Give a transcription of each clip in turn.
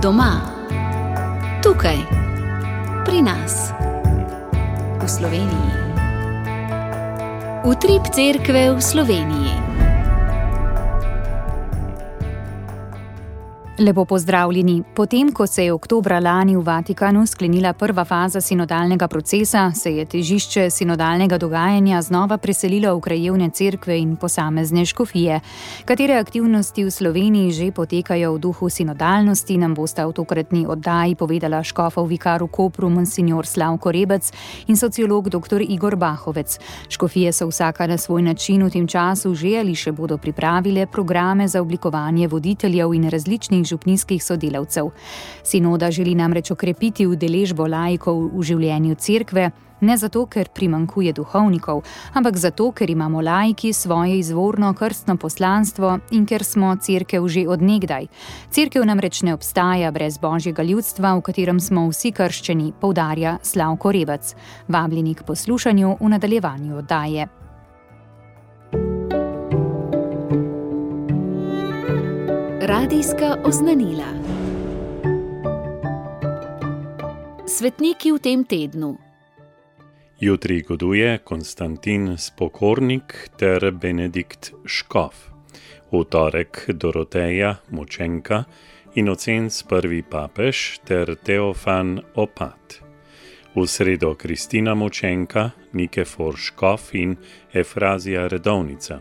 Doma, tukaj, pri nas, v Sloveniji. Utrip cerkve v Sloveniji. Lepo pozdravljeni. Potem, ko se je oktobra lani v Vatikanu sklenila prva faza sinodalnega procesa, se je težišče sinodalnega dogajanja znova preselilo v krajevne cerkve in posamezne škofije. Katere aktivnosti v Sloveniji že potekajo v duhu sinodalnosti, nam bosta v tokratni oddaji povedala škofov vikar v Kopru monsignor Slavko Rebec in sociolog dr. Igor Bahovec. Škofije so vsaka na svoj način v tem času že ali še bodo pripravile programe za oblikovanje voditeljev in različnih župnijskih sodelavcev. Sinoda želi namreč okrepiti udeležbo laikov v življenju cerkve, ne zato, ker primanjkuje duhovnikov, ampak zato, ker imamo laiki svoje izvorno krstno poslanstvo in ker smo cerkev že od nekdaj. Cerkev namreč ne obstaja brez božjega ljudstva, v katerem smo vsi krščeni, poudarja Slavko Rebec. Vabljeni k poslušanju v nadaljevanju oddaje. Radijska oznanila. Svetniki v tem tednu. Jutri goduje Konstantin Spokornik ter Benedikt Škof. V torek Doroteja Močenka, Inocenc prvi papež ter Teofan Opat. V sredo Kristina Močenka, Nikefor Škof in Efrazija Redovnica.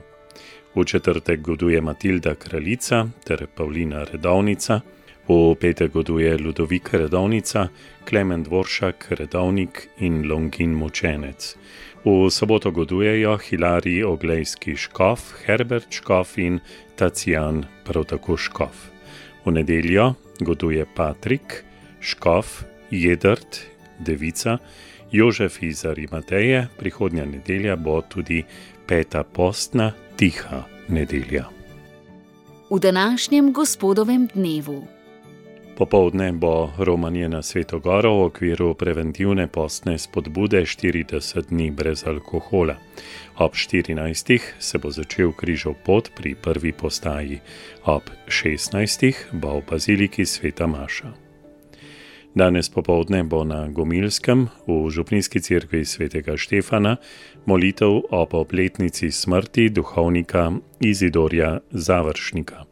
V četrtek goduje Matilda Kraljica ter Pavlina Redovnica, v petek goduje Ludovika Redovnica, Klemen Dvoršak Redovnik in Longin Močenec. V soboto godujejo Hilarij Oglejski Škof, Herbert Škof in Tacijan prav tako Škof. V nedeljo goduje Patrik, Škof, Jedrt, Devica, Jožef iz Arimateje, prihodnja nedelja bo tudi peta postna, tiha nedelja. V današnjem gospodovem dnevu. Popoldne bo romanje na Sveto Goro v okviru preventivne postne spodbude 40 dni brez alkohola. Ob 14. se bo začel križov pot pri prvi postaji. Ob 16. bo v baziliki Sveta Maša. Danes popoldne bo na Gomilskem v župnijski cerkvi svetega Štefana molitev ob obletnici smrti duhovnika Izidorja Završnika.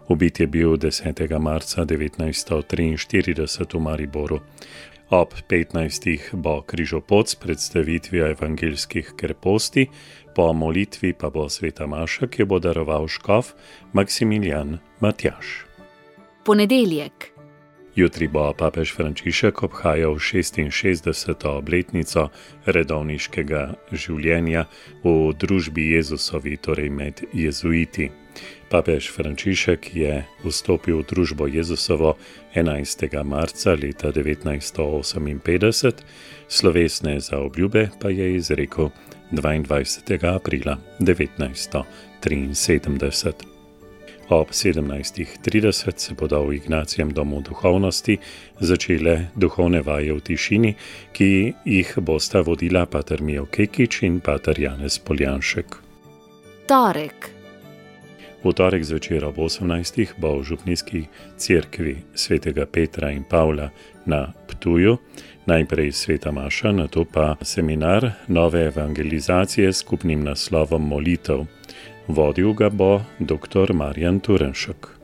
Ubit je bil 10. marca 1943 v Mariboru. Ob 15. bo križopot s predstavitvijo evangeljskih kreposti, po molitvi pa bo Sveta Maša, ki bo daroval škof Maksimilijan Matjaž. Ponedeljek. Jutri bo papež Frančišek obhajal 66. obletnico redovniškega življenja v družbi Jezusovi, torej med jezuiti. Papež Frančišek je vstopil v družbo Jezusovo 11. marca leta 1958, slovesne zaobljube pa je izrekel 22. aprila 1973. Ob 17.30 se bodo v Ignacijem domu duhovnosti začele duhovne vaje v tišini, ki jih bosta vodila pater Mijo Kekič in pater Janez Poljanšek. Torek. V torek zvečer ob 18. bo v župnijski cerkvi svetega Petra in Pavla na Ptuju najprej Sveta Maša, nato pa seminar nove evangelizacije s skupnim naslovom molitev. Vodil ga bo dr. Marjan Turenšek.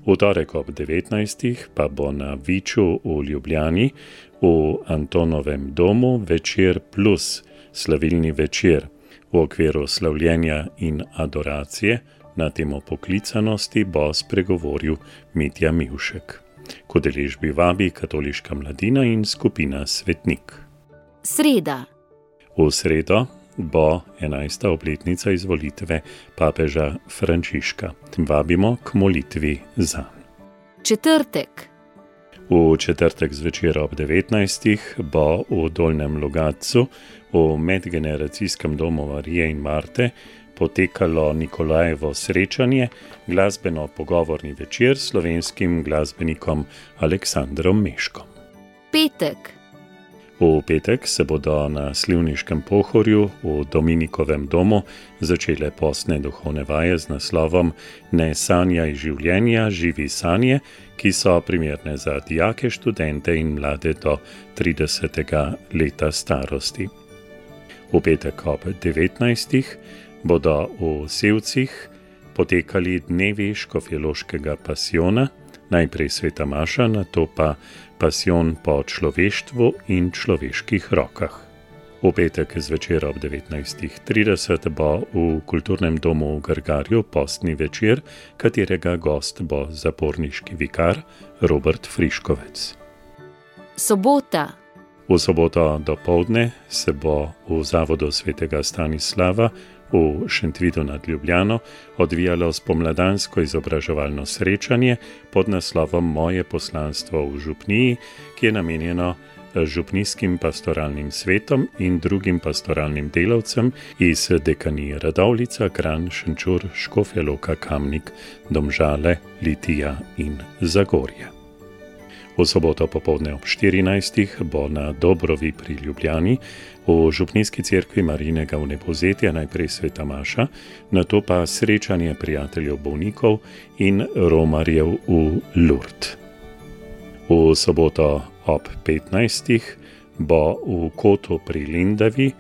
V torek ob 19. pa bo na Viču v Ljubljani v Antonovem domu Večer plus, slavilni večer, v okviru slavljenja in adoracije na temo poklicanosti bo spregovoril Mitja Mivšek. K udeležbi vabi katoliška mladina in skupina Svetnik. Sreda. V sredo bo 11. obletnica izvolitve papeža Frančiška. Vabimo k molitvi zanj. Četrtek. V četrtek zvečer ob 19. bo v Dolnjem Logatcu v medgeneracijskem domu Marije in Marte potekalo Nikolajevo srečanje, glasbeno-pogovorni večer s slovenskim glasbenikom Aleksandrom Meškom. Petek. V petek se bodo na Slivniškem Pohorju v Dominikovem domu začele postne duhovne vaje z naslovom Ne sanjaj življenja, živi sanje, ki so primerne za dijake, študente in mlade do 30. leta starosti. V petek ob 19. bodo v Sevcih potekali dnevi škofjeloškega pasijona, najprej sveta maša, nato pa pasijon po človeštvu in človeških rokah. V petek zvečer ob 19:30 bo v kulturnem domu v Grgarju postni večer, katerega gost bo zaporniški vikar Robert Friškovec. Sobota. V soboto dopoldne se bo v zavodu svetega Stanislava v Šentvidu nad Ljubljano odvijalo spomladansko izobraževalno srečanje pod naslovom Moje poslanstvo v župniji, ki je namenjeno župnijskim pastoralnim svetom in drugim pastoralnim delavcem iz dekanije Radovljica, Kranj, Šenčur, Škofja Loka, Kamnik, Domžale, Litija in Zagorje. V soboto popoldne ob 14. bo na Dobrovi pri Ljubljani v župnijski cerkvi Marijinega vnebovzetja najprej sveta maša, nato pa srečanje prijateljev bolnikov in romarjev v Lourdes. V soboto ob 15. bo v Kotu pri Lendavi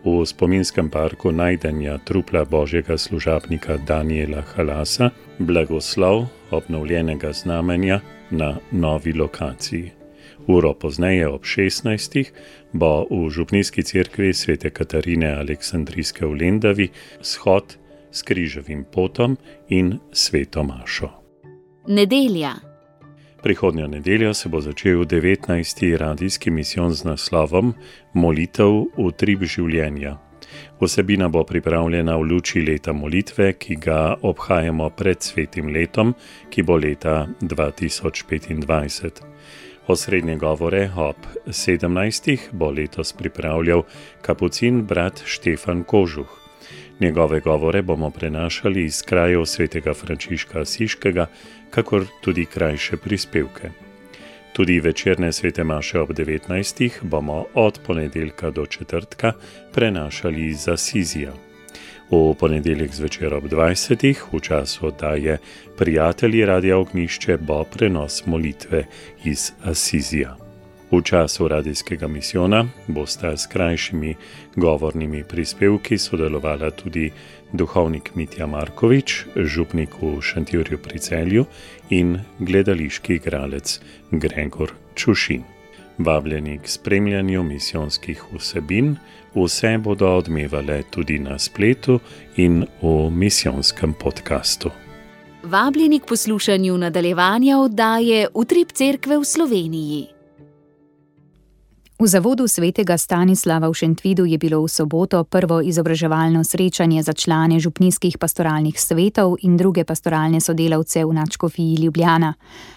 v spominskem parku najdenja trupla božjega služabnika Daniela Halasa blagoslov obnovljenega znamenja na novi lokaciji. Uro pozneje ob 16. bo v župnijski cerkvi svete Katarine Aleksandrijske v Lendavi shod s križevim potom in sveto mašo. Nedelja. Prihodnjo nedeljo se bo začel 19. radijski misijon z naslovom Molitev utrip življenja. Vsebina bo pripravljena v luči leta molitve, ki ga obhajamo pred svetim letom, ki bo leta 2025. Osrednje govore ob 17. bo letos pripravljal kapucin brat Štefan Kožuh. Njegove govore bomo prenašali iz krajev svetega Frančiška Asiškega, kakor tudi krajše prispevke. Tudi večerne svete maše ob 19. bomo od ponedeljka do četrtka prenašali iz Asizija. V ponedeljek zvečer ob 20. v času oddaje Prijatelji Radia Ognjišče bo prenos molitve iz Asizija. V času radijskega misijona bosta s krajšimi govornimi prispevki sodelovala tudi duhovnik Mitja Markovič, župnik v Šentjurju pri Celju in gledališki igralec Gregor Čušin. Vabljeni k spremljanju misijonskih vsebin, vse bodo odmevale tudi na spletu in v misijonskem podkastu. Vabljeni k poslušanju nadaljevanja oddaje Utrip cerkve v Sloveniji. V zavodu svetega Stanislava v Šentvidu je bilo v soboto prvo izobraževalno srečanje za člane župnijskih pastoralnih svetov in druge pastoralne sodelavce v nadškofiji Ljubljana.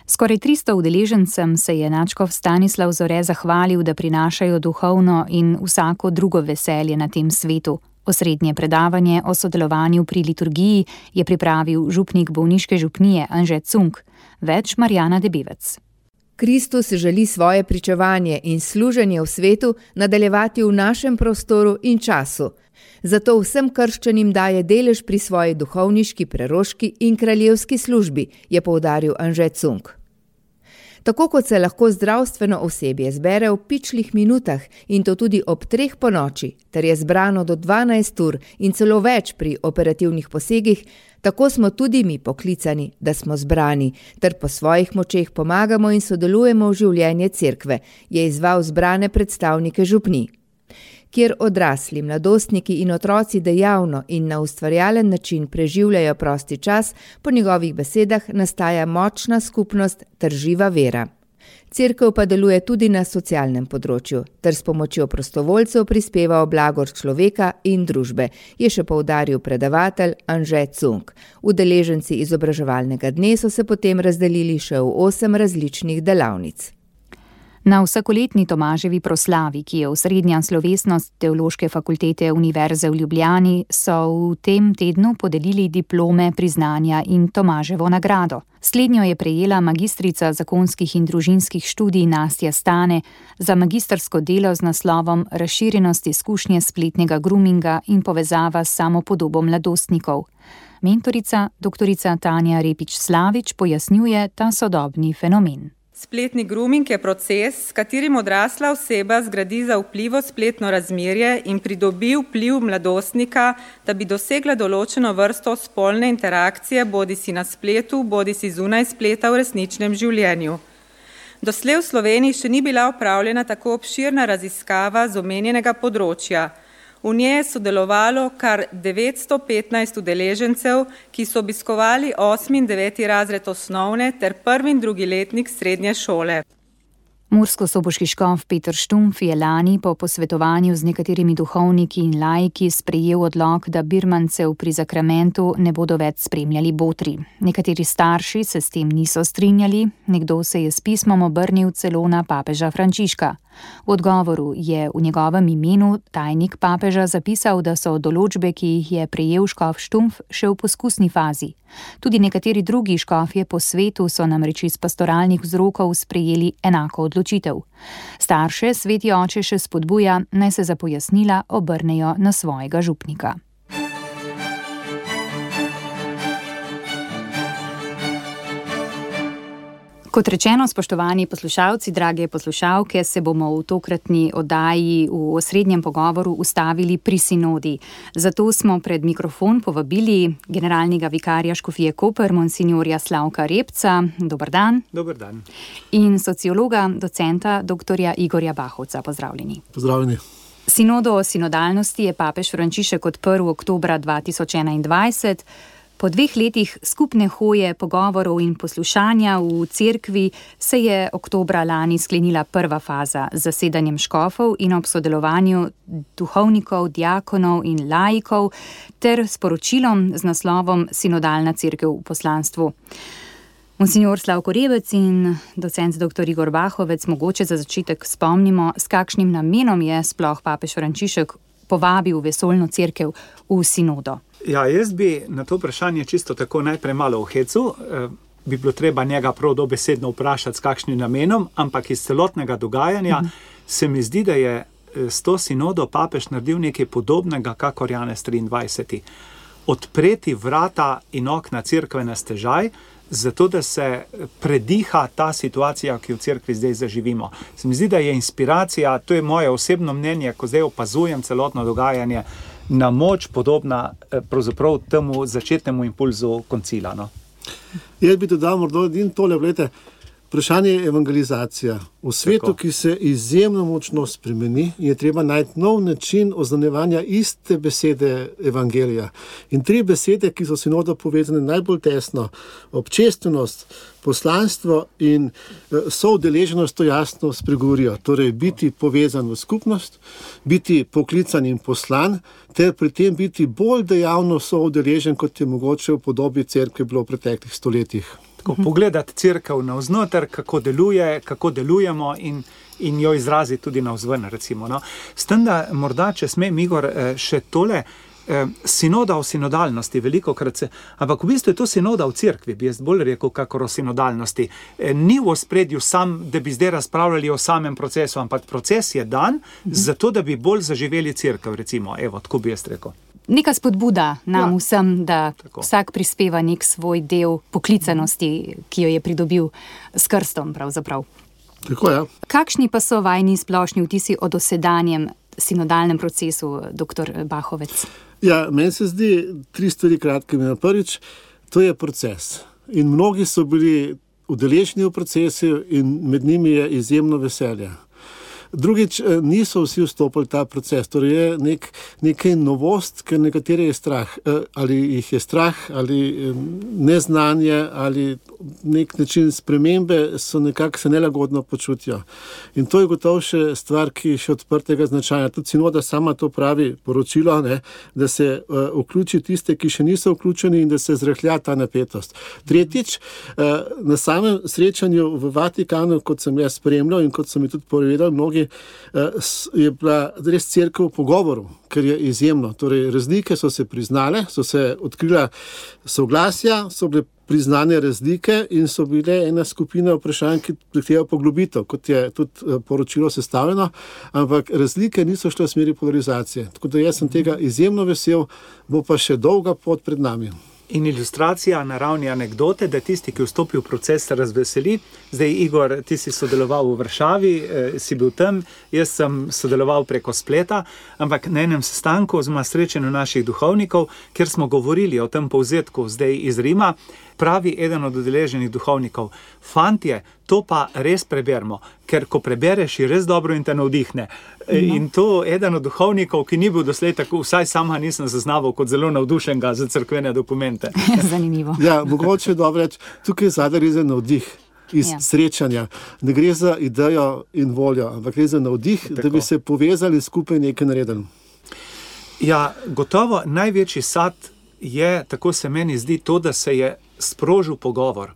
Skoraj 300 udeležencem se je nadškof Stanislav Zore zahvalil, da prinašajo duhovno in vsako drugo veselje na tem svetu. Osrednje predavanje o sodelovanju pri liturgiji je pripravil župnik bolniške župnije Anže Cunk, več Marjana Debevec. Kristus želi svoje pričevanje in služenje v svetu nadaljevati v našem prostoru in času. Zato vsem krščanim daje delež pri svoji duhovniški, preroški in kraljevski službi, je poudaril Anže Cunk. Tako kot se lahko zdravstveno osebje zbere v pičlih minutah in to tudi ob 3 ponoči, ter je zbrano do 12 ur in celo več pri operativnih posegih, tako smo tudi mi poklicani, da smo zbrani, ter po svojih močeh pomagamo in sodelujemo v življenje cerkve, je izval zbrane predstavnike župnij. Kjer odrasli, mladostniki in otroci dejavno in na ustvarjalen način preživljajo prosti čas, po njegovih besedah nastaja močna skupnost ter živa vera. Cerkev pa deluje tudi na socialnem področju, ter s pomočjo prostovoljcev prispeva v blagor človeka in družbe, je še poudaril predavatelj Anže Cunk. Udeleženci izobraževalnega dne so se potem razdelili še v 8 različnih delavnic. Na vsakoletni Tomaževi proslavi, ki je osrednja slovesnost Teološke fakultete Univerze v Ljubljani, so v tem tednu podelili diplome, priznanja in Tomaževo nagrado. Slednjo je prejela magistrica zakonskih in družinskih študij Nastja Stane za magistrsko delo z naslovom Razširjenost izkušnje spletnega groominga in povezava s samopodobo mladostnikov. Mentorica, doktorica Tanja Repič-Slavič, pojasnjuje ta sodobni fenomen. Spletni grooming je proces, s katerim odrasla oseba zgradi zaupljivo spletno razmerje in pridobi vpliv mladostnika, da bi dosegla določeno vrsto spolne interakcije bodisi na spletu, bodisi zunaj spleta v resničnem življenju. Doslej v Sloveniji še ni bila opravljena tako obširna raziskava z omenjenega področja. V njej je sodelovalo kar 915 udeležencev, ki so obiskovali 8. in 9. razred osnovne ter 1. in 2. letnik srednje šole. Murskosoboški škof Peter Štumpf je lani po posvetovanju z nekaterimi duhovniki in laiki sprejel odlok, da birmancev pri zakramentu ne bodo več spremljali botri. Nekateri starši se s tem niso strinjali, nekdo se je s pismom obrnil celo na papeža Frančiška. V odgovoru je v njegovem imenu tajnik papeža zapisal, da so določbe, ki jih je prejel škof Štumpf, še v poskusni fazi. Tudi nekateri drugi škofje po svetu so namreč iz pastoralnih vzrokov sprejeli enako odločitev. Starše sveti oče še spodbuja, naj se za pojasnila obrnejo na svojega župnika. Kot rečeno, spoštovani poslušalci, drage poslušalke, se bomo v tokratni oddaji v osrednjem pogovoru ustavili pri sinodi. Zato smo pred mikrofon povabili generalnega vikarja škofije Koper, monsinjorja Slavka Repca. Dober dan. Dober dan. In sociologa, docenta, doktorja Igorja Bahovca. Pozdravljeni. Pozdravljeni. Sinodo o sinodalnosti je papež Frančišek odprl oktobra 2021. Po 2 letih skupne hoje, pogovorov in poslušanja v cerkvi se je oktobra lani sklenila prva faza z zasedanjem škofov in ob sodelovanju duhovnikov, diakonov in laikov ter sporočilom z naslovom Sinodalna cerkev v poslanstvu. Monsinjor Slavko Rebec in docent dr. Igor Bahovec, mogoče za začetek spomnimo, s kakšnim namenom je sploh papež Frančišek povabil vesoljno cerkev v sinodo. Ja, jaz bi na to vprašanje čisto tako najprej malo v hecu. Bi bilo treba njega prav dobesedno vprašati, s kakšnim namenom, ampak iz celotnega dogajanja se mi zdi, da je s to sinodo papež naredil nekaj podobnega, kakor Janez 23. Odpreti vrata in okna cerkve na stežaj, zato da se prediha ta situacija, ki v cerkvi zdaj zaživimo. Se mi zdi, da je inspiracija, to je moje osebno mnenje, ko zdaj opazujem celotno dogajanje, na moč podobna pravzaprav temu začetnemu impulzu koncila. No? Jaz bi dodal morda in tole, gledajte, vprašanje je evangelizacija. V svetu, tako, ki se izjemno močno spremeni, je treba najti nov način oznanjevanja iste besede evangelija. In 3 besede, ki so sinodo povezane najbolj tesno, občestvenost, poslanstvo in soudeleženost, to jasno spregovorijo. Torej, biti povezan v skupnost, biti poklican in poslan, ter pri tem biti bolj dejavno soudeležen, kot je mogoče v podobi cerkve bilo v preteklih stoletjih. Pogledati cerkev navznoter, kako deluje, kako delujemo in jo izraziti tudi navzven, recimo. No. S tem, da morda, če smem, Igor, še tole, sinoda o sinodalnosti, velikokrat se, ampak v bistvu je to sinoda v cerkvi, bi jaz bolj rekel, kakor o sinodalnosti. Ni v ospredju sam, da bi zdaj razpravljali o samem procesu, ampak proces je dan, zato da bi bolj zaživeli cerkev, recimo. Evo, tako bi jaz rekel. Neka spodbuda nam vsem, da tako vsak prispeva nek svoj del poklicanosti, ki jo je pridobil s krstom pravzaprav. Tako, ja. Kakšni pa so vajni splošni vtisi o dosedanjem sinodalnem procesu, dr. Bahovec? Ja, meni se zdi 3 stvari kratke. Prvič, to je proces. In mnogi so bili udeleženi v procesu in med njimi je izjemno veselje. Drugič, niso vsi vstopili ta proces, torej je nekaj novost, ker nekatere je strah, ali jih je strah, ali neznanje, ali nek način spremembe so nekako se nelagodno počutijo. In to je gotovo še stvar, ki je še odprtega značaja. Tudi sinoda sama to pravi poročilo, ne, da se vključi tiste, ki še niso vključeni in da se zrahlja ta napetost. Tretjič, na samem srečanju v Vatikanu, kot sem jaz spremljal in kot so mi tudi povedali mnogi, je bila res cerkev v pogovoru, ker je izjemno. Torej, razlike so se priznale, so se odkrila soglasja, so bile priznane razlike in so bile ena skupina vprašanj, ki zahtevajo poglobitev, kot je tudi poročilo sestavljeno, ampak razlike niso šle v smeri polarizacije. Tako da jaz sem tega izjemno vesel, bo pa še dolga pot pred nami. In ilustracija na ravni anekdote, da tisti, ki vstopi v proces, se razveseli. Zdaj, Igor, ti si sodeloval v Varšavi, si bil tam, jaz sem sodeloval preko spleta, ampak na enem sestanku oziroma srečanju naših duhovnikov, kjer smo govorili o tem povzetku zdaj iz Rima, pravi eden od udeleženih duhovnikov: fantje, to pa res preberimo, ker ko prebereš, je res dobro in te navdihne. In to eden od duhovnikov, ki ni bil doslej tako, vsaj sama nisem zaznaval kot zelo navdušenega za cerkvene dokumente. Zanimivo. Ja, mogoče je dobro reči, tukaj zadaj gre za navdih iz srečanja. Ne gre za idejo in voljo, ampak gre za navdih, tako, da bi se povezali skupaj nekaj naredili. Ja, gotovo največji sad je, tako se meni zdi, to, da se je sprožil pogovor.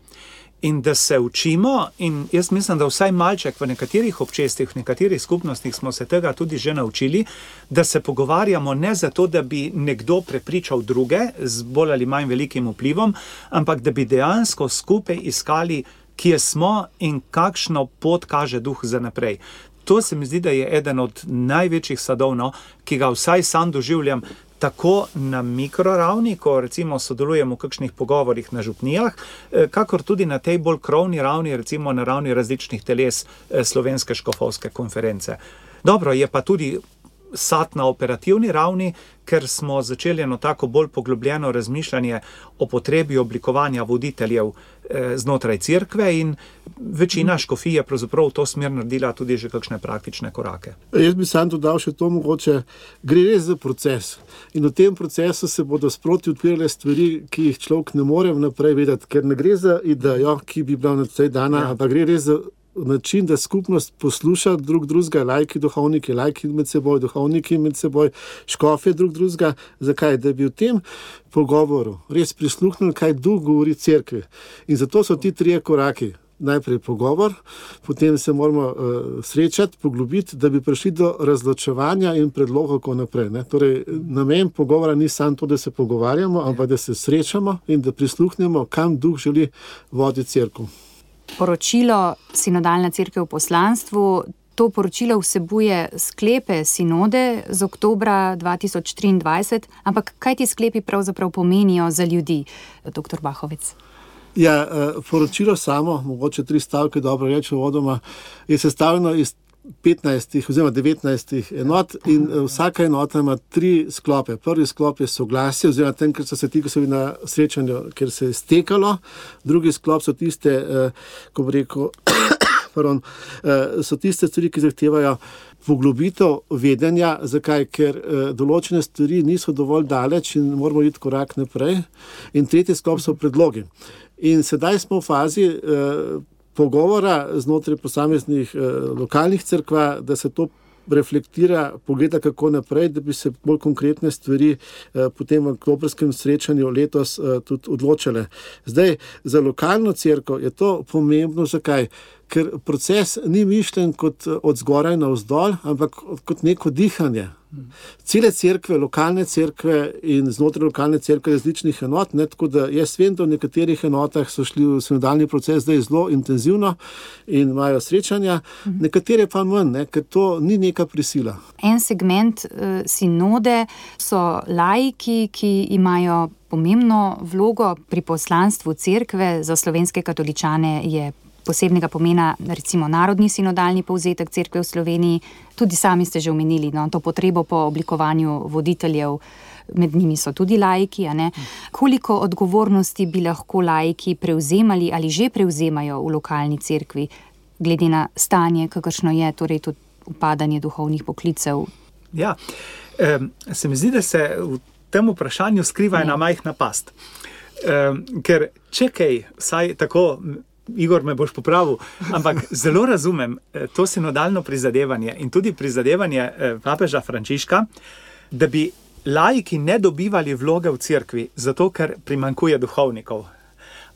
In da se učimo, in jaz mislim, da vsaj malček v nekaterih občestvih, v nekaterih skupnostih smo se tega tudi že naučili, da se pogovarjamo ne zato, da bi nekdo prepričal druge z bolj ali manj velikim vplivom, ampak da bi dejansko skupaj iskali, kje smo in kakšno pot kaže duh za naprej. To se mi zdi, da je eden od največjih sadov, ki ga vsaj sam doživljam, tako na mikroravni, ko recimo sodelujemo v kakšnih pogovorih na župnijah, kakor tudi na tej bolj krovni ravni, recimo na ravni različnih teles Slovenske škofovske konference. Dobro, je pa tudi sad na operativni ravni, ker smo začeli eno tako bolj poglobljeno razmišljanje o potrebi oblikovanja voditeljev znotraj cerkve in večina škofij je pravzaprav v to smer naredila tudi že kakšne praktične korake. Jaz bi sam dodal še to, mogoče gre res za proces. In v tem procesu se bodo sproti odpirale stvari, ki jih človek ne more vnaprej vedeti, ker ne gre za idejo, ki bi bila na tej dana, ampak gre res za način, da skupnost posluša drugega, laiki, duhovniki, laiki med seboj, duhovniki med seboj, škofje drugega. Zakaj? Da bi v tem pogovoru res prisluhnili, kaj duh govori cerkvi. In zato so ti trije koraki. Najprej pogovor, potem se moramo srečati, poglobiti, da bi prišli do razločevanja in predlogov, kako naprej. Ne? Torej, namen pogovora ni samo to, da se pogovarjamo, ampak da se srečamo in da prisluhnemo, kam duh želi voditi cerkev. Poročilo Sinodalna cerkev v poslanstvu, to poročilo vsebuje sklepe sinode z oktobra 2023, ampak kaj ti sklepi pravzaprav pomenijo za ljudi, dr. Bahovec? Ja, poročilo samo, mogoče 3 stavke, dobro reči uvodoma, je sestavljeno iz 15 oziroma 19 enot in vsaka enota ima 3 sklope. Prvi sklop je soglasje, oziroma tem, ker so se ti, ko so bili na srečanju, ker se je stekalo. Drugi sklop so tiste, ko bi rekel, so tiste stvari, ki zahtevajo poglobitev vedenja. Zakaj? Ker določene stvari niso dovolj daleč in moramo iti korak naprej. In tretji sklop so predlogi. In sedaj smo v fazi pogovora znotraj posameznih lokalnih cerkva, da se to reflektira, pogleda kako naprej, da bi se bolj konkretne stvari potem v oktobrskem srečanju letos tudi odločile. Zdaj, za lokalno cerkev je to pomembno. Zakaj? Ker proces ni mišljen kot od zgoraj na vzdolj, ampak kot neko dihanje. Cele cerkve, lokalne cerkve in znotraj lokalne cerkve različnih enot, ne, tako da jaz vem, da v nekaterih enotah so šli v sinodalni proces zdaj zelo intenzivno in imajo srečanja, nekatere pa manj, ne, ker to ni neka prisila. En segment sinode so laiki, ki imajo pomembno vlogo pri poslanstvu cerkve. Za slovenske katoličane je posebnega pomena recimo narodni sinodalni povzetek cerkve v Sloveniji. Tudi sami ste že omenili, to potrebo po oblikovanju voditeljev, med njimi so tudi laiki. Koliko odgovornosti bi lahko laiki prevzemali ali že prevzemajo v lokalni cerkvi, glede na stanje, kakršno je, torej tudi upadanje duhovnih poklicev? Ja, se mi zdi, da se v tem vprašanju skriva ena majhna past. Ker če kaj, saj tako, Igor, me boš popravil, ampak zelo razumem to sinodalno prizadevanje in tudi prizadevanje papeža Frančiška, da bi laiki ne dobivali vloge v cerkvi, zato ker primanjkuje duhovnikov.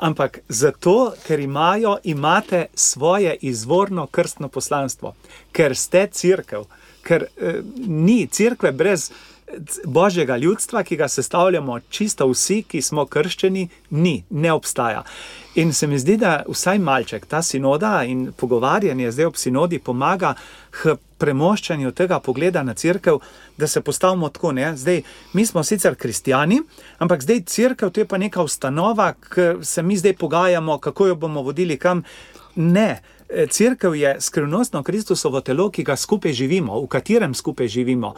Ampak zato, ker imate svoje izvorno krstno poslanstvo, ker ste cerkev, ker ni cerkve brez Božjega ljudstva, ki ga sestavljamo čisto vsi, ki smo krščeni, ne obstaja. In se mi zdi, da vsaj malček, ta sinoda in pogovarjanje zdaj ob sinodi pomaga k premoščanju tega pogleda na cerkev, da se postavimo tako, ne? Zdaj, mi smo sicer kristjani, ampak zdaj cerkev, to je pa neka ustanova, ki se mi zdaj pogajamo, kako jo bomo vodili kam. Ne, cerkev je skrivnostno Kristusovo telo, ki ga skupaj živimo, v katerem skupaj živimo.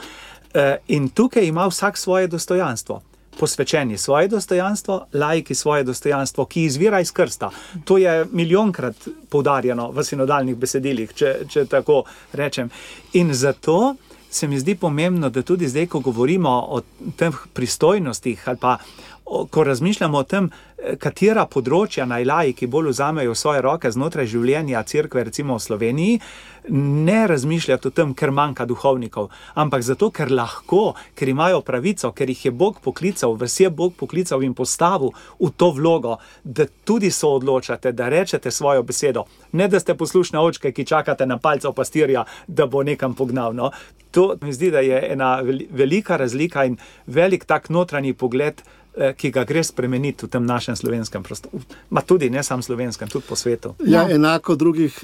In tukaj ima vsak svoje dostojanstvo. Posvečeni svoje dostojanstvo, laiki svoje dostojanstvo, ki izvira iz krsta. To je milijonkrat poudarjeno v sinodalnih besedilih, če tako rečem. In zato se mi zdi pomembno, da tudi zdaj, ko govorimo o teh pristojnostih ali pa ko razmišljamo o tem, katera področja naj laiki bolj vzamejo v svoje roke znotraj življenja cerkve, recimo v Sloveniji, ne razmišljati o tem, ker manjka duhovnikov, ampak zato, ker lahko, ker imajo pravico, ker jih je Bog poklical, vas je Bog poklical in postavil v to vlogo, da tudi so odločate, da rečete svojo besedo. Ne, da ste poslušne očke, ki čakate na palcev pastirja, da bo nekam pognal. No? To mi zdi, da je ena velika razlika in velik tak notranji pogled, ki ga gre spremeniti v tem našem slovenskem prostoru. Ma tudi ne samo slovenskem, tudi po svetu. Ja, enako v drugih,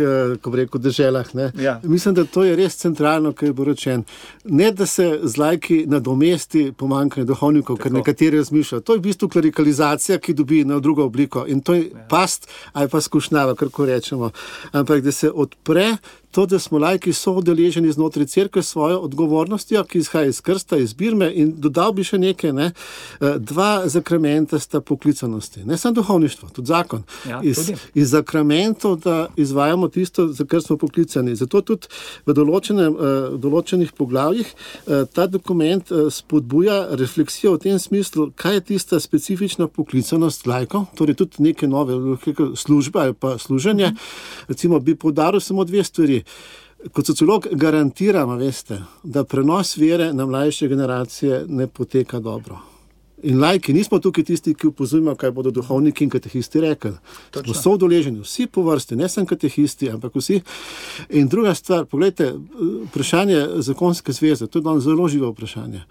ko bi rekel, deželah. Ne? Ja. Mislim, da to je res centralno, kar je bo rečen. Ne, da se z laiki nadomesti pomanjkanje duhovnikov, ker nekateri razmišljajo. To je v bistvu klerikalizacija, ki dobi na drugo obliko. In to je past ali pa skušnjava, kako rečemo. Ampak da se odpre to, da smo laiki soudeleženi znotraj cerkve s svojo odgovornostjo, ki izhaja iz krsta, iz birme, in dodal bi še nekaj, ne? 2 zakramenta sta poklicanosti. Ne samo duhovništvo, tudi zakon. Ja, iz zakramentov, da izvajamo tisto, za kar smo poklicani. Zato tudi v določenih poglavjih ta dokument spodbuja refleksijo v tem smislu, kaj je tista specifična poklicanost laikov, torej tudi neke nove službe ali pa služenje. Recimo bi poudaril samo 2 stvari. Kot sociolog garantiram, veste, da prenos vere na mlajše generacije ne poteka dobro. In laiki nismo tukaj tisti, ki opozorimo, kaj bodo duhovniki in katehisti rekli. Smo soudeleženi, vsi po vrsti, ne samo katehisti, ampak vsi. In druga stvar, pogledajte, vprašanje zakonske zveze, to je danes zelo živo vprašanje.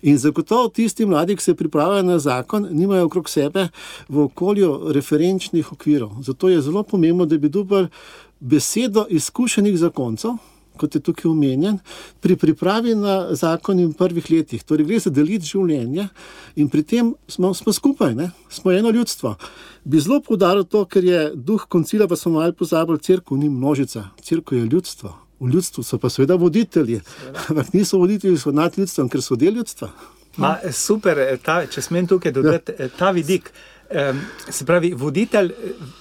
In zagotovo tisti mladi, ki se pripravljajo na zakon, nimajo okrog sebe v okolju referenčnih okvirov. Zato je zelo pomembno, da bi dobili besedo izkušenih zakoncev, kot je tukaj omenjen, pri pripravi na zakon in prvih letih. Torej gre za deliti življenje in pri tem smo skupaj, ne? Smo eno ljudstvo. Bi zelo poudaril to, ker je duh koncila, pa smo malo pozabili, cerkev ni množica, cerkev je ljudstvo. V ljudstvu so pa seveda voditelji, ampak niso voditelji, so nad ljudstvom, ker so del ljudstva. Super, če smem tukaj dodati ta vidik. Se pravi, voditelj,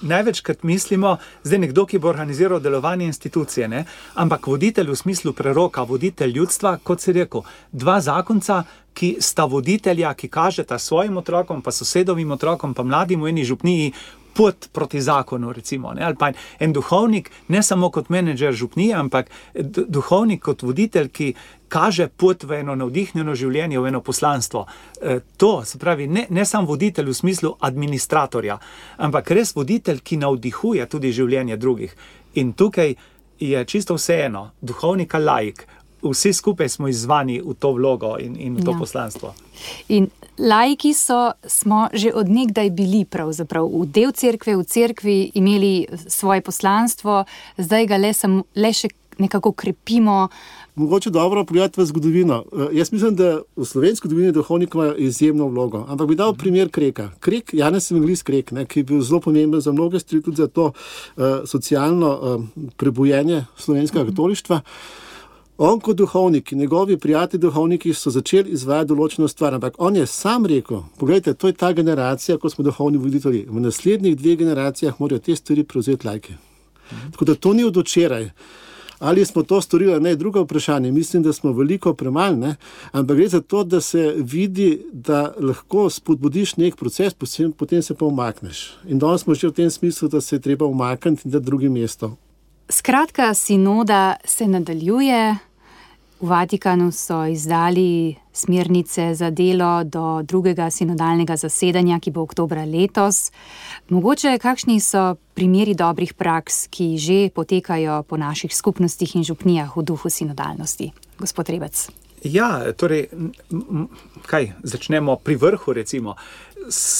največkrat mislimo, zdaj nekdo, ki bo organiziral delovanje institucije, ne? Ampak voditelj v smislu preroka, voditelj ljudstva, kot si rekel, 2 zakonca, ki sta voditelja, ki kažeta svojim otrokom, pa sosedovim otrokom, pa mladim v eni župniji pot proti zakonu, recimo, ne? Ali pa en duhovnik, ne samo kot menedžer župnije, ampak duhovnik kot voditelj, ki kaže pot v eno navdihnjeno življenje, v eno poslanstvo. To, se pravi, ne samo voditelj v smislu administratorja, ampak res voditelj, ki navdihuje tudi življenje drugih. In tukaj je čisto vseeno, duhovnik ali laik, vsi skupaj smo izzvani v to vlogo in v to poslanstvo. In laiki smo že od nekdaj bili pravzaprav v del cerkve, v cerkvi imeli svoje poslanstvo, zdaj ga le še nekako krepimo. Mogoče dobro pogledati v zgodovino. Jaz mislim, da v slovenski zgodovini duhovnik ima izjemno vlogo. Ampak bi dal primer Kreka. Krek, Janez Evangelist Krek, ne, ki je bil zelo pomemben za mnoge stvari, tudi za to socialno prebujenje slovenskega katolištva. On kot duhovnik in njegovi prijatelji duhovniki so začeli izvajati določeno stvar, ampak on je sam rekel, pogledajte, to je ta generacija, ko smo duhovni voditelji. V naslednjih 2 generacijah morajo te stvari prevzeti laiki. Tako da to ni od včeraj. Ali smo to storili, ne, drugo vprašanje. Mislim, da smo veliko premalo, ne, ampak gre za to, da se vidi, da lahko spodbudiš nek proces, potem se pa umakneš. In danes smo že v tem smislu, da se je treba umakniti in dati drugo mesto. Skratka, sinoda se nadaljuje. V Vatikanu so izdali smernice za delo do drugega sinodalnega zasedanja, ki bo oktobra letos. Mogoče kakšni so primeri dobrih praks, ki že potekajo po naših skupnostih in župnijah v duhu sinodalnosti? Gospod Rebec. Ja, torej, začnemo pri vrhu, recimo.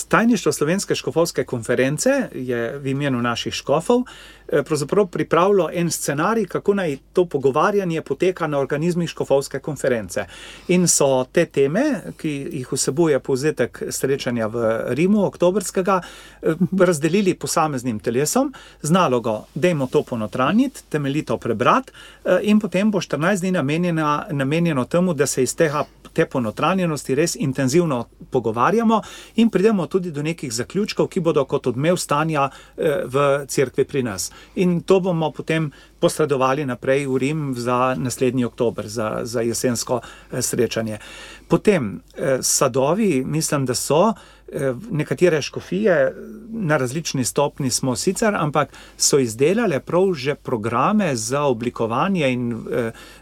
Tajništvo Slovenske škofovske konference je v imenu naših škofov pravzaprav pripravilo en scenarij, kako naj to pogovarjanje poteka na organizmih škofovske konference. In so te teme, ki jih vsebuje povzetek srečanja v Rimu oktobrskega, razdelili posameznim telesom z nalogo, dajmo to ponotranjiti, temeljito prebrati in potem bo 14 dni namenjeno temu, da se iz te ponotranjenosti res intenzivno pogovarjamo in pridemo tudi do nekih zaključkov, ki bodo kot odmev stanja v cerkvi pri nas. In to bomo potem posredovali naprej v Rim za naslednji oktober, za jesensko srečanje. Potem sadovi, mislim, da so nekatere škofije, na različni stopni smo sicer, ampak so izdelale prav že programe za oblikovanje in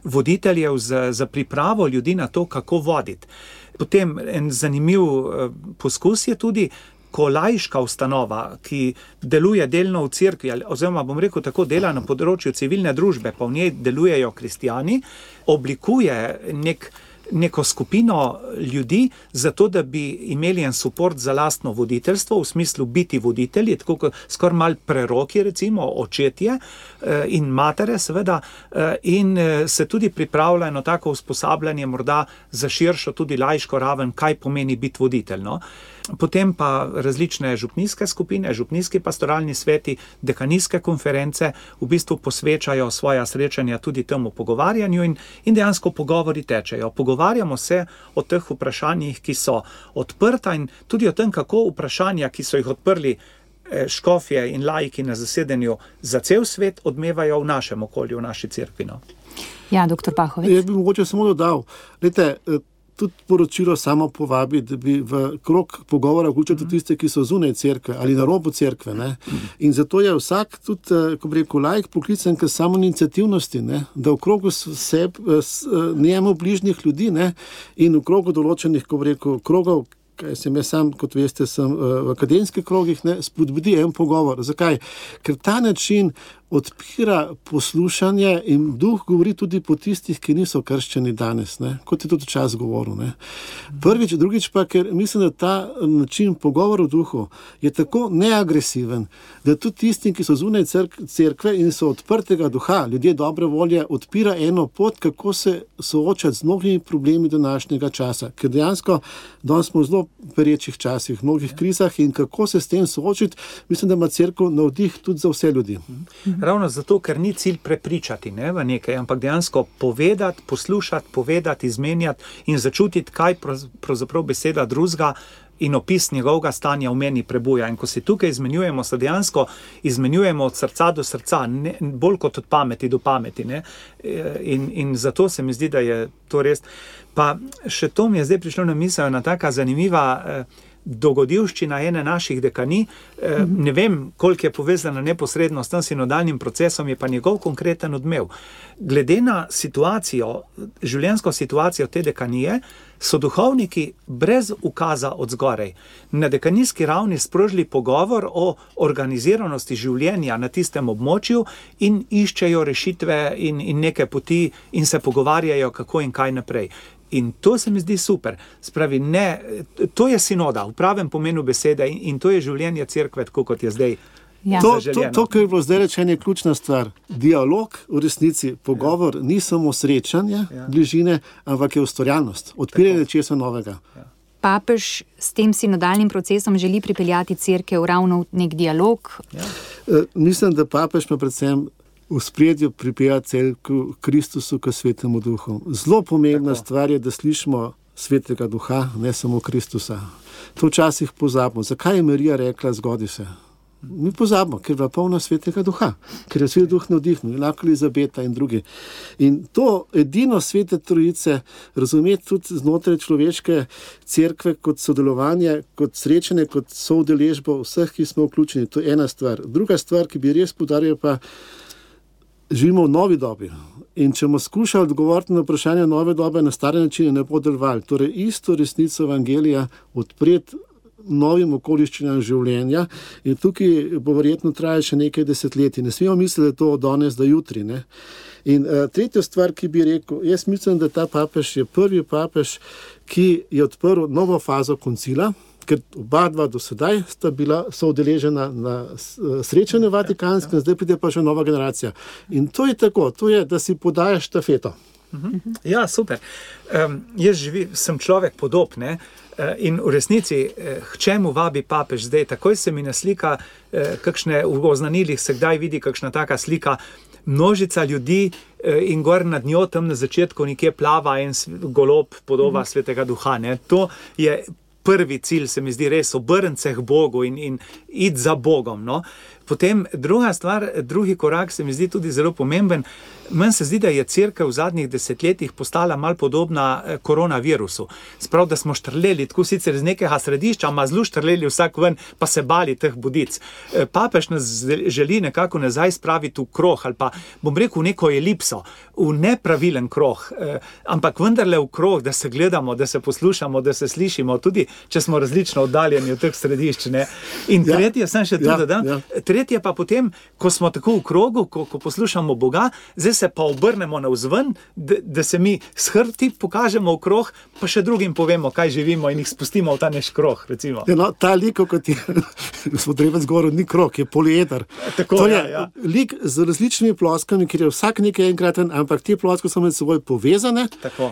voditeljev za pripravo ljudi na to, kako voditi. Potem en zanimiv poskus je tudi, ko laiška ustanova, ki deluje delno v cerkvi, oziroma bom rekel tako, dela na področju civilne družbe, pa v njej delujejo kristjani, oblikuje neko skupino ljudi, zato da bi imeli en suport za lastno voditeljstvo, v smislu biti voditelji, tako kot skoraj malo preroki, recimo očetje in matere, seveda, in se tudi pripravlja eno tako usposabljanje morda za širšo tudi laiško raven, kaj pomeni biti voditelj, no. Potem pa različne župnijske skupine, župnijski pastoralni sveti, dekanijske konference v bistvu posvečajo svoja srečanja tudi temu pogovarjanju in dejansko pogovori tečejo. Pogovarjamo se o teh vprašanjih, ki so odprta in tudi o tem, kako vprašanja, ki so jih odprli škofje in laiki na zasedanju za cel svet, odmevajo v našem okolju, v naši cerkvi. Ja, doktor Pahovic. Jaz bi mogoče samo dodal, tudi poročilo samo povabi, da bi v krog pogovora vključili tudi tiste, ki so zunaj cerkve ali na robu cerkve. Ne? In zato je vsak tudi, ko bi rekel, laik poklican k samoiniciativnosti, ne? Da v krogu njemu bližnjih ljudi, ne? In v krogu določenih, ko bi rekel, krogov, kaj sem jaz sam, kot veste, sem v akademskih krogih, ne, spodbudi en pogovor. Zakaj? Ker ta način odpira poslušanje in duh govori tudi po tistih, ki niso krščeni danes, ne? Kot je tudi čas govoril. Ne? Prvič, drugič pa, ker mislim, da ta način pogovora v duhu je tako neagresiven, da tudi tistim, ki so zunaj cerkve in so odprtega duha, ljudje dobre volje, odpira eno pot, kako se soočati z mnogimi problemi današnjega časa. Ker dejansko danes smo v zelo perečih časih, v mnogih krizah in kako se s tem soočiti, mislim, da ima cerkev navdih tudi za vse ljudi. Ravno zato, ker ni cilj prepričati, ne, v nekaj, ampak dejansko povedati, poslušati, izmenjati in začutiti, kaj pravzaprav beseda drugega in opis njegovega stanja v meni prebuja. In ko se tukaj izmenjujemo, se dejansko izmenjujemo od srca do srca, ne, bolj kot od pameti do pameti. Ne. In zato se mi zdi, da je to res. Pa še to mi je zdaj prišlo na misel, ena taka zanimiva dogodivščina ene naših dekanij. Ne vem, koliko je povezana neposredno s tem sinodalnim procesom, je pa njegov konkreten odmev. Glede na situacijo, življenjsko situacijo te dekanije, so duhovniki brez ukaza od zgorej na dekanijski ravni sprožili pogovor o organiziranosti življenja na tistem območju in iščejo rešitve in neke poti in se pogovarjajo, kako in kaj naprej. In to se mi zdi super. Spravi, ne, to je sinoda v pravem pomenu besede in to je življenje cerkve, tako kot je zdaj. Ja. To, kar je bilo zdaj rečeno, je ključna stvar. Dialog, v resnici, pogovor, ni samo srečanje, bližine, ampak je ustvarjalnost, odpiranje česa novega. Ja. Papež s tem sinodalnim procesom želi pripeljati cerkev ravno v nek dialog? Ja. Mislim, da papež ima predvsem v spredju pripelja cerkev Kristusu k svetemu duhu. Zelo pomembna stvar je, da slišimo svetega duha, ne samo Kristusa. To včasih pozabimo. Zakaj je Marija rekla, zgodi se? Mi pozabimo, ker je bila polna Svetega Duha, ker je Sveti Duh navdihnil, enako Elizabeta in drugi. In to edino Svete Trojice razumeti tudi znotraj človeške cerkve kot sodelovanje, kot srečanje, kot soudeležbo vseh, ki smo vključeni. To je ena stvar. Druga stvar, ki bi res poudaril, pa živimo v novi dobi. In če bomo skušali odgovoriti na vprašanje nove dobe na stare načine, ne bo delovali. Torej, isto resnico Evangelija odpreti novim okoliščinam življenja in tukaj bo verjetno trajalo še nekaj desetletij. Ne smemo misliti, da je to od danes do jutri. Ne? In tretja stvar, ki bi rekel, jaz mislim, da ta papež je prvi papež, ki je odprl novo fazo koncila, ker oba dva do sedaj sta bila soudeležena na srečanju Vatikanskem, zdaj pride pa še nova generacija. In to je tako, to je, da si podajaš štafeto. Ja, super. Jaz sem človek podob, ne? In v resnici, k čemu vabi papež zdaj? Takoj se mi naslika, kakšne v oznanilih se kdaj vidi kakšna taka slika, množica ljudi in gor nad njo tam na začetku nekje plava en golob, podoba Svetega Duha. Ne? To je prvi cilj, se mi zdi res, obrniti se k Bogu in iti za Bogom. No? Potem druga stvar, drugi korak se mi zdi tudi zelo pomemben. Meni se zdi, da je cerkev v zadnjih desetletjih postala malo podobna koronavirusu. Sprav, da smo štrleli, tako sicer iz nekega središča, ama zelo štrleli vsak ven, pa se bali teh budic. Papež nas želi nekako nazaj spraviti v kroh, ali pa, bom rekel, v neko elipso, v nepravilen kroh, ampak vendarle v kroh, da se gledamo, da se poslušamo, da se slišimo, tudi če smo različno oddaljeni od teh središč. Ne? In tretje, sem še tudi dodam, tretje pa potem, ko smo tako v krogu, ko poslušamo Boga, zdaj se pa obrnemo navzven, da se mi s hrbti pokažemo v kroh, pa še drugim povemo, kaj živimo in jih spustimo v ta naš kroh, recimo. Ja, no, ta lik, kot je gospod Rebec govoril, ni krog, je polieder. Tako, to je lik z različnimi ploskami, kjer je vsak nekaj enkraten, ampak te ploske so med seboj povezane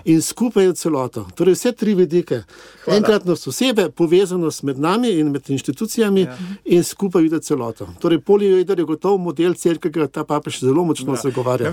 in skupaj je celoto. Torej vse tri vidike. Enkratnost osebe, povezanost med nami in med inštitucijami in skupaj vidi celoto. Torej polieder je gotov model cerkve, ki ga ta papež zelo močno zagovarja.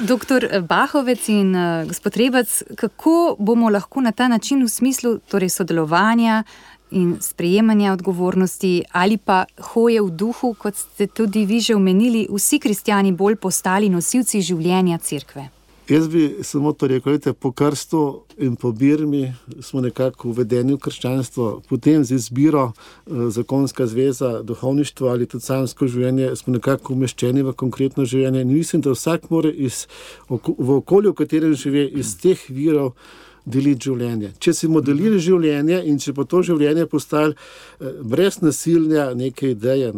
Doktor Bahovec in gospod Rebec, kako bomo lahko na ta način v smislu torej sodelovanja in sprejemanja odgovornosti ali pa hoje v duhu, kot ste tudi vi že omenili, vsi kristjani bolj postali nosilci življenja cerkve? Jaz bi samo to rekel, po krstu in po birmi smo nekako uvedeni v krščanstvo, potem z izbiro zakonska zveza, duhovništvo ali tudi samsko življenje smo nekako umeščeni v konkretno življenje. In mislim, da vsak mora v okolju, v katerem živi, iz teh virov deliti življenje. Če si bomo delili življenje in če bo to življenje postalo brez nasilja neke ideje,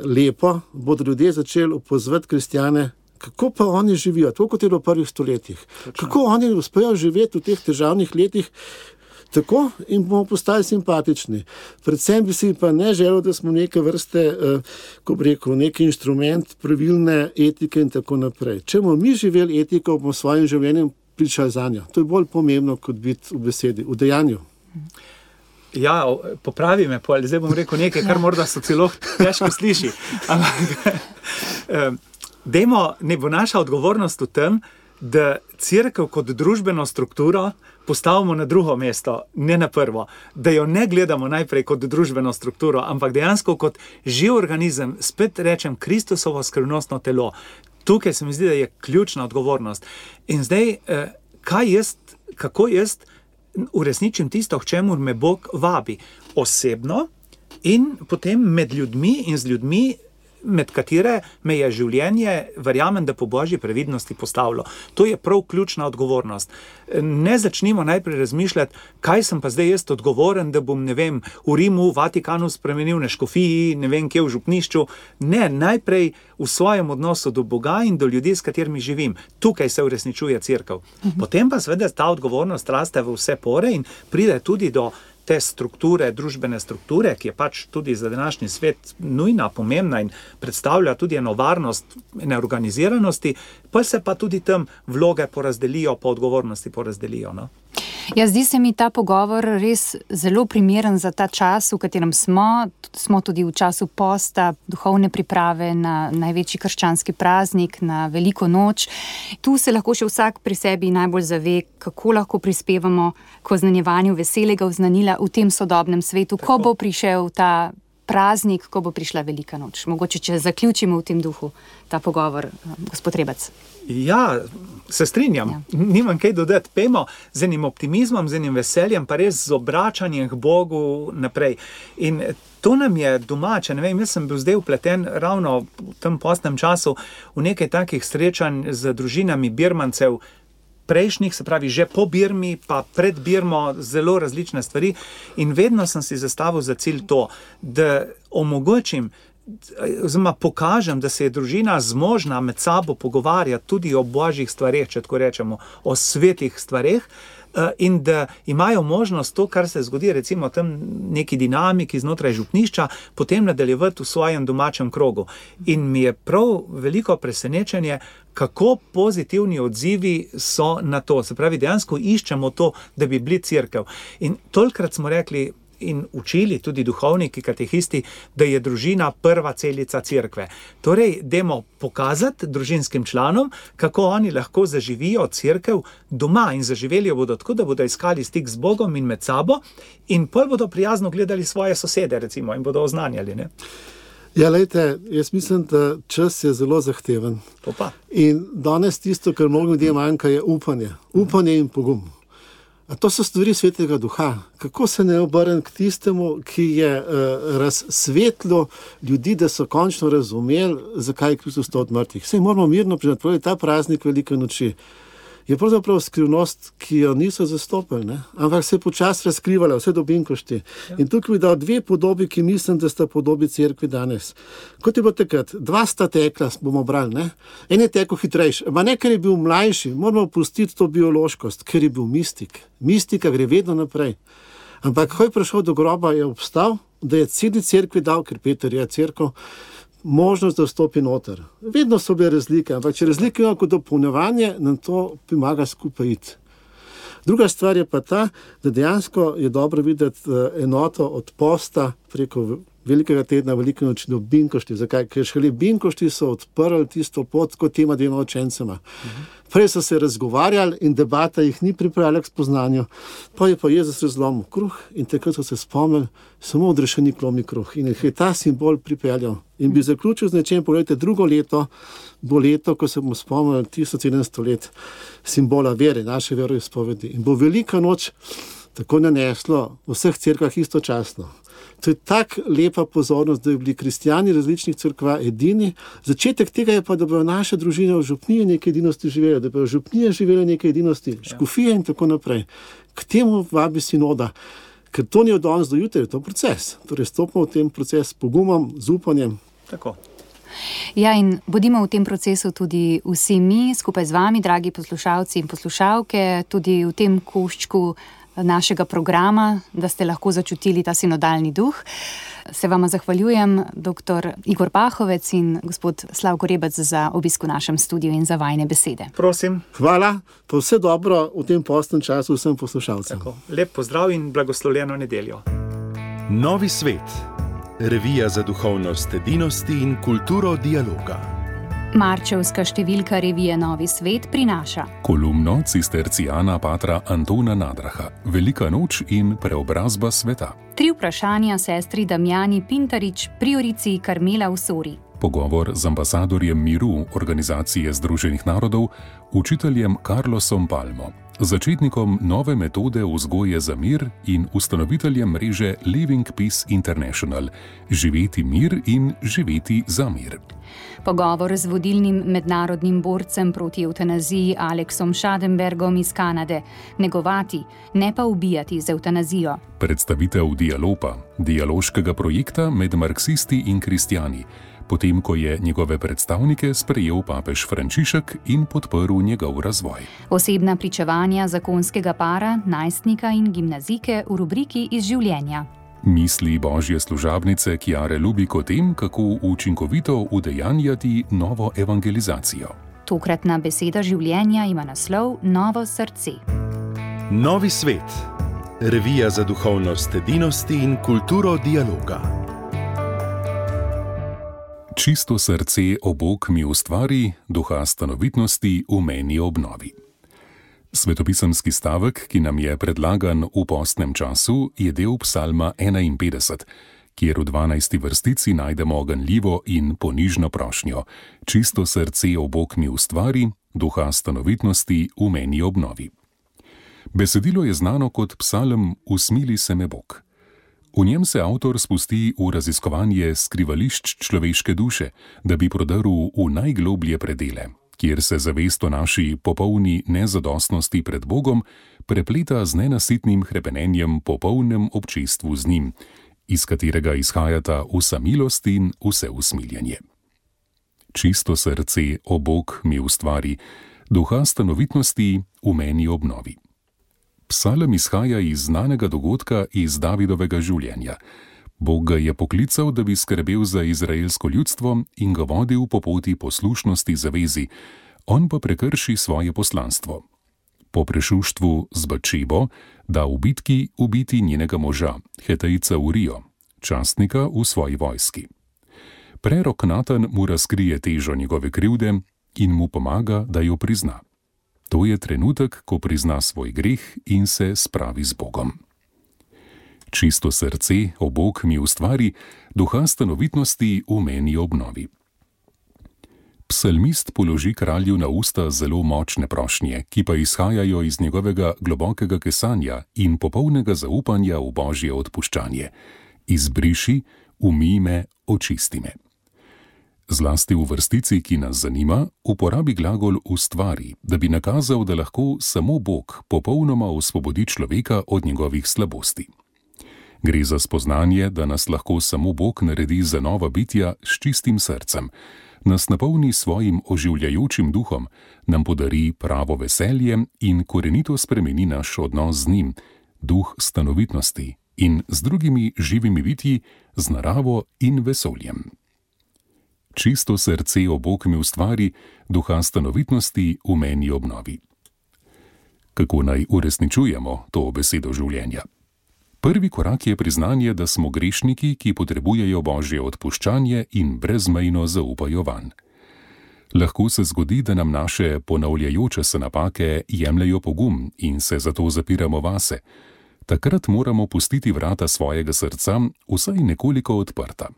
lepo, bodo ljudje začeli opozvati kristjane, kako pa oni živijo, tako kot je v prvih stoletjih. Kako oni uspejo živeti v teh težavnih letih tako in bomo postali simpatični. Predvsem bi si pa ne želel, da smo neke vrste, ko bi rekel, neki inštrument pravilne etike in tako naprej. Če bomo mi živeli etiko, bomo svojim življenjem pričali za njo. To je bolj pomembno, kot biti v besedi, v dejanju. Ja, popravi me, zdaj bom rekel nekaj, kar morda so celo težko sliši. Ne bo naša odgovornost v tem, da cerkev kot družbeno strukturo postavimo na drugo mesto, ne na prvo. Da jo ne gledamo najprej kot družbeno strukturo, ampak dejansko kot živ organizem, spet rečem, Kristusovo skrivnostno telo. Tukaj se mi zdi, da je ključna odgovornost. In zdaj, kako jaz uresničim tisto, k čemu me Bog vabi? Osebno in potem med ljudmi in z ljudmi, med katere me je življenje, verjamem, da po božji previdnosti postavilo. To je prav ključna odgovornost. Ne začnimo najprej razmišljati, kaj sem pa zdaj jaz odgovoren, da bom, v Rimu, v Vatikanu spremenil, na škofiji, kje v župnišču. Ne, najprej v svojem odnosu do Boga in do ljudi, s katerimi živim. Tukaj se uresničuje cerkev. Potem pa seveda ta odgovornost raste v vse pore in pride tudi do te strukture, družbene strukture, ki je pač tudi za današnji svet nujna, pomembna in predstavlja tudi eno varnost, ene organiziranosti, pa se pa tudi tam vloge porazdelijo, pa odgovornosti porazdelijo. No? Ja, zdi se mi ta pogovor res zelo primeren za ta čas, v katerem smo tudi v času posta, duhovne priprave na največji krščanski praznik, na veliko noč. Tu se lahko še vsak pri sebi najbolj zave, kako lahko prispevamo k oznanjevanju veselega oznanila v tem sodobnem svetu, ko bo prišel ta praznik, ko bo prišla velika noč. Mogoče, če zaključimo v tem duhu ta pogovor, gospod Rebec. Ja, se strinjam. Nimam kaj dodati. Pejmo z enim optimizmom, z enim veseljem, pa res z obračanjem k Bogu naprej. In to nam je domače. Ne vem, jaz sem bil zdaj vpleten ravno v tem postnem času v nekaj takih srečanj z družinami Birmancev, prejšnjih, se pravi že po Birmi, pa pred Birmo, zelo različne stvari. In vedno sem si zastavil za cilj to, da omogočim, oziroma pokažem, da se je družina zmožna med sabo pogovarjati tudi o božjih stvareh, če tako rečemo, o svetih stvareh, in da imajo možnost to, kar se zgodi recimo tam neki dinamiki znotraj župnišča, potem nadaljevati v svojem domačem krogu. In mi je prav veliko presenečenje, kako pozitivni odzivi so na to. Se pravi, dejansko iščemo to, da bi bili cerkev. In tolikrat smo rekli in učili tudi duhovniki, katehisti, da je družina prva celica cerkve. Torej, dajmo pokazati družinskim članom, kako oni lahko zaživijo cerkev doma in zaživeli jo bodo tako, da bodo iskali stik z Bogom in med sabo in pol bodo prijazno gledali svoje sosede, recimo, in bodo oznanjali, ne? Ja, lejte, jaz mislim, da čas je zelo zahteven. Opa. In danes tisto, kar mnogo ljudem manjka, je upanje. Upanje in pogum. A to so stvari svetega duha. Kako se ne obrnem k tistemu, ki je razsvetlil ljudi, da so končno razumeli, zakaj je Kristus vstal od mrtvih. Saj moramo mirno priznati, ta praznik velike noči je pravzaprav skrivnost, ki jo niso zastopili, ne? Ampak se je počasi razkrivala, vse do binkošti. Ja. In tukaj bi dal dve podobi, ki mislim, da sta podobi cerkvi danes. Kot je bilo takrat, dva sta tekla, bomo brali, ne? En je tekel hitrejši, ma ne, ker je bil mlajši, moramo pustiti to biološkost, ker je bil mistik. Mistika gre vedno naprej. Ampak ko je prišel do groba, je obstal, da je celi cerkvi dal, ker Peter je cerkev, možnost, da vstopi noter. Vedno so bile razlike, ampak če razlike imamo kot dopolnjevanje, nam to pomaga skupaj iti. Druga stvar je pa ta, da dejansko je dobro videti enoto od posta preko velikega tedna, velike noči do binkošti. Zakaj? Ker šele binkošti so odprli tisto pot kot tema dvema učencema. Prej so se razgovarjali in debata jih ni pripravila k spoznanju. Pa je pa Jezus razlomil kruh in takrat so se spomnili, samo odrešenik lomi kruh. In je ta simbol pripeljal. In bi zaključil z nečem, pogledajte, drugo leto bo leto, ko se bomo spomnili 1700 let simbola vere, naše veroizpovedi. In bo velika noč tako naneslo v vseh cerkvah istočasno. To je tak lepa pozornost, da bi bili kristjani različnih cerkva edini. Začetek tega je pa, da bojo naše družine v župniji neke edinosti živele, da bojo župnije živele neke edinosti, škofije in tako naprej. K temu vabi sinoda, ker to ni od danes do jutri, to je proces. Torej stopimo v tem proces s pogumom, z upanjem. Tako. Ja, in bodimo v tem procesu tudi vsi mi, skupaj z vami, dragi poslušalci in poslušalke, tudi v tem koščku našega programa, da ste lahko začutili ta sinodalni duh. Se vama zahvaljujem, dr. Igor Pahovec in gospod Slavko Rebec, za obisk v našem studiu in za vajine besede. Prosim. Hvala, pa vse dobro v tem postnem času vsem poslušalcem. Tako. Lep pozdrav in blagoslovljeno nedeljo. Novi svet. Revija za duhovnost edinosti in kulturo dialoga. Marčevska številka revije Novi svet prinaša kolumno cistercijana patra Antona Nadraha, Velika noč in preobrazba sveta. 3 vprašanja sestri Damjani Pintarič, priorici Karmela v Sori. Pogovor z ambasadorjem miru Organizacije Združenih narodov, učiteljem Carlosom Palmo, začetnikom nove metode vzgoje za mir in ustanoviteljem mreže Living Peace International, živeti mir in živeti za mir. Pogovor z vodilnim mednarodnim borcem proti evtanaziji Aleksom Schadenbergom iz Kanade. Negovati, ne pa ubijati z evtanazijo. Predstavitev Dialopa, dialoškega projekta med marksisti in kristjani, potem ko je njegove predstavnike sprejel papež Frančišek in podprl njegov razvoj. Osebna pričevanja zakonskega para, najstnika in gimnazijke v rubriki Iz življenja. Misli božje služabnice Kjare Lubik o tem, kako učinkovito udejanjati novo evangelizacijo. Tokratna beseda življenja ima naslov Novo srce. Novi svet. Revija za duhovnost edinosti in kulturo dialoga. Čisto srce, o Bog mi ustvari, duha stanovitnosti v meni obnovi. Svetopisemski stavek, ki nam je predlagan v postnem času, je del psalma 51, kjer v 12. vrstici najdemo ganljivo in ponižno prošnjo: čisto srce, o Bog mi ustvari, duha stanovitnosti v meni obnovi. Besedilo je znano kot psalm Usmili se me Bog. V njem se avtor spusti v raziskovanje skrivališč človeške duše, da bi prodrl v najgloblje predele, kjer se zavest o naši popolni nezadostnosti pred Bogom prepleta z nenasitnim hrepenenjem po polnem občestvu z njim, iz katerega izhajata vsa milost in vse usmiljenje. Čisto srce, o Bog mi ustvari, duha stanovitnosti v meni obnovi. Psalm izhaja iz znanega dogodka iz Davidovega življenja. Bog ga je poklical, da bi skrbel za izraelsko ljudstvo in ga vodil po poti poslušnosti zavezi, on pa prekrši svoje poslanstvo. Po prešuštvu z Batšebo da v bitki ubiti njenega moža, Hetejca Urijo, častnika v svoji vojski. Prerok Natan mu razkrije težo njegove krivde in mu pomaga, da jo prizna. To je trenutek, ko prizna svoj greh in se spravi z Bogom. Čisto srce, o Bog mi ustvari, duha stanovitnosti v meni obnovi. Psalmist položi kralju na usta zelo močne prošnje, ki pa izhajajo iz njegovega globokega kesanja in popolnega zaupanja v Božje odpuščanje. Izbriši, umij me, očisti me. Zlasti v vrstici, ki nas zanima, uporabi glagol ustvari, da bi nakazal, da lahko samo Bog popolnoma osvobodi človeka od njegovih slabosti. Gre za spoznanje, da nas lahko samo Bog naredi za nova bitja s čistim srcem, nas napolni svojim oživljajočim duhom, nam podari pravo veselje in korenito spremeni naš odnos z njim, duh stanovitnosti in z drugimi živimi bitji, z naravo in vesoljem. Čisto srce, o Bog mi ustvari, duha stanovitnosti v meni obnovi. Kako naj uresničujemo to besedo življenja? Prvi korak je priznanje, da smo grešniki, ki potrebujejo Božje odpuščanje in brezmejno zaupajo vanj. Lahko se zgodi, da nam naše ponavljajoče se napake jemljejo pogum in se zato zapiramo vase. Takrat moramo pustiti vrata svojega srca vsaj nekoliko odprta.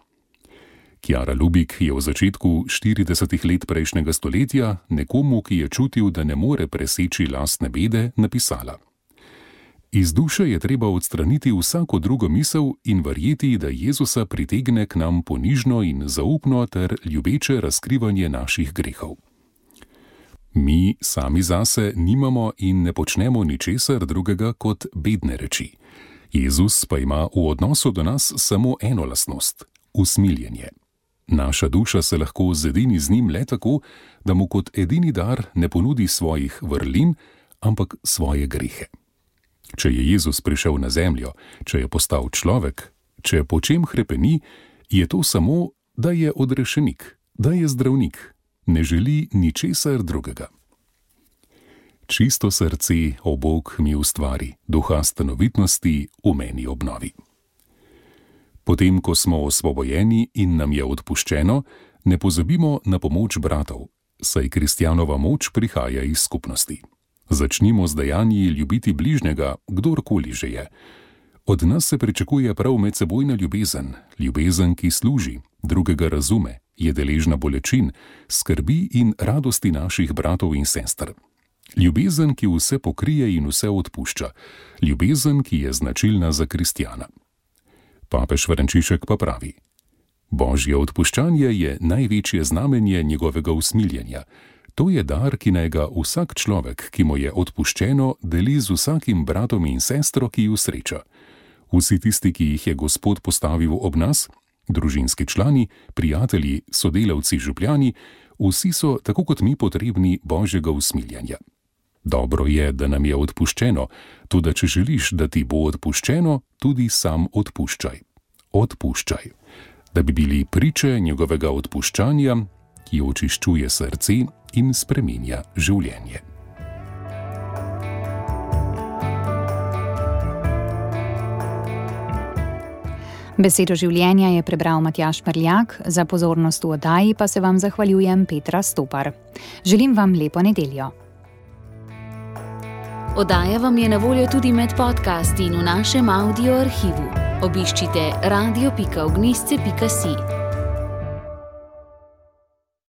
Kjara Lubik je v začetku 40 let prejšnjega stoletja nekomu, ki je čutil, da ne more preseči lastne bede, napisala: Iz duše je treba odstraniti vsako drugo misel in verjeti, da Jezusa pritegne k nam ponižno in zaupno ter ljubeče razkrivanje naših grehov. Mi sami zase nimamo in ne počnemo ničesar drugega kot bedne reči. Jezus pa ima v odnosu do nas samo eno lastnost – usmiljenje. Naša duša se lahko zedini z njim le tako, da mu kot edini dar ne ponudi svojih vrlin, ampak svoje grehe. Če je Jezus prišel na zemljo, če je postal človek, če po čem hrepeni, je to samo, da je odrešenik, da je zdravnik, ne želi ničesar drugega. Čisto srce, o Bog mi ustvari, duha stanovitnosti v meni obnovi. Potem, ko smo osvobojeni in nam je odpuščeno, ne pozabimo na pomoč bratov, saj kristjanova moč prihaja iz skupnosti. Začnimo z dejanji ljubiti bližnjega, kdorkoli že je. Od nas se pričakuje prav medsebojna ljubezen, ljubezen, ki služi, drugega razume, je deležna bolečin, skrbi in radosti naših bratov in sester. Ljubezen, ki vse pokrije in vse odpušča, ljubezen, ki je značilna za kristjana. Papež Frančišek pa pravi: Božje odpuščanje je največje znamenje njegovega usmiljenja. To je dar, ki naj ga vsak človek, ki mu je odpuščeno, deli z vsakim bratom in sestro, ki ju sreča. Vsi tisti, ki jih je Gospod postavil ob nas, družinski člani, prijatelji, sodelavci, župljani, vsi so, tako kot mi, potrebni Božjega usmiljenja. Dobro je, da nam je odpuščeno, toda če želiš, da ti bo odpuščeno, tudi sam odpuščaj. Odpuščaj, da bi bili priče njegovega odpuščanja, ki očiščuje srce in spreminja življenje. Besedo življenja je prebral Matjaž Prljak, za pozornost v oddaji pa se vam zahvaljujem Petra Stopar. Želim vam lepo nedeljo. Oddaja vam je na voljo tudi med podcasti in v našem audio arhivu. Obiščite radio.ognisce.si.